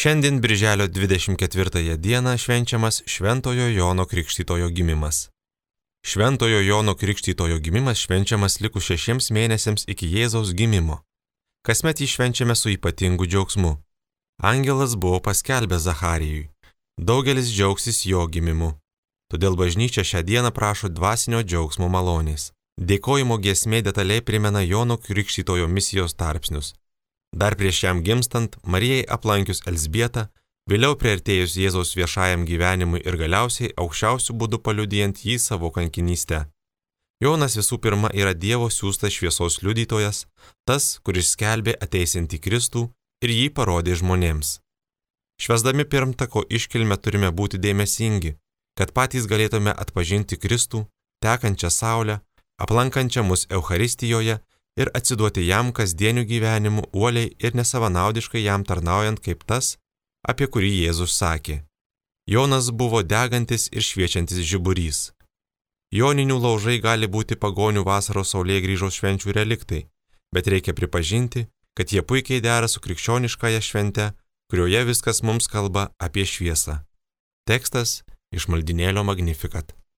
Šiandien birželio 24 dieną švenčiamas Šventojo Jono Krikštytojo gimimas. Šventojo Jono Krikštytojo gimimas švenčiamas likus 6 mėnesiams iki Jėzaus gimimo. Kasmet jį švenčiame su ypatingu džiaugsmu. Angelas buvo paskelbęs Zacharijui. Daugelis džiaugsis jo gimimu. Todėl bažnyčia šią dieną prašo dvasinio džiaugsmo malonės. Dėkojimo giesmė detaliai primena Jono Krikštytojo misijos tarpsnius. Dar prieš jam gimstant, Marijai aplankius Elzbietą, vėliau priartėjus Jėzaus viešajam gyvenimui ir galiausiai aukščiausių būdų paliudijant jį savo kankinystę. Jonas visų pirma yra Dievo siųstas šviesos liudytojas, tas, kuris skelbė ateisiantį Kristų ir jį parodė žmonėms. Švęsdami pirmtako iškilmę turime būti dėmesingi, kad patys galėtume atpažinti Kristų, tekančią saulę, aplankančią mus Eucharistijoje ir atsiduoti jam kasdieniu gyvenimu uoliai ir nesavanaudiškai jam tarnaujant kaip tas, apie kurį Jėzus sakė. Jonas buvo degantis ir šviečiantis žiburys. Joninių laužai gali būti pagonių vasaros saulėgrįžos švenčių reliktai, bet reikia pripažinti, kad jie puikiai dera su krikščioniškąja švente, kurioje viskas mums kalba apie šviesą. Tekstas iš maldynėlio Magnificat.